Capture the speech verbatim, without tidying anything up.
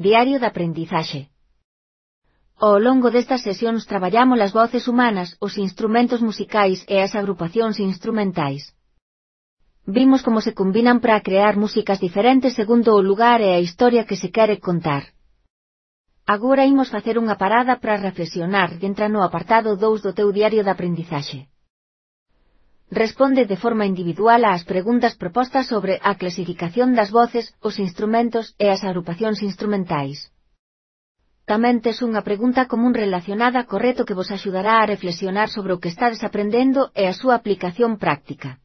Diario de aprendizaxe. Ao longo destas sesións traballamos as voces humanas, os instrumentos musicais e as agrupacións instrumentais. Vimos como se combinan para crear músicas diferentes segundo o lugar e a historia que se quere contar. Agora imos facer unha parada para reflexionar e entra no apartado dous do teu diario de aprendizaxe. Responde de forma individual ás preguntas propostas sobre a clasificación das voces, os instrumentos e as agrupacións instrumentais. Tamén tes unha pregunta común relacionada co reto que vos axudará a reflexionar sobre o que estades aprendendo e a súa aplicación práctica.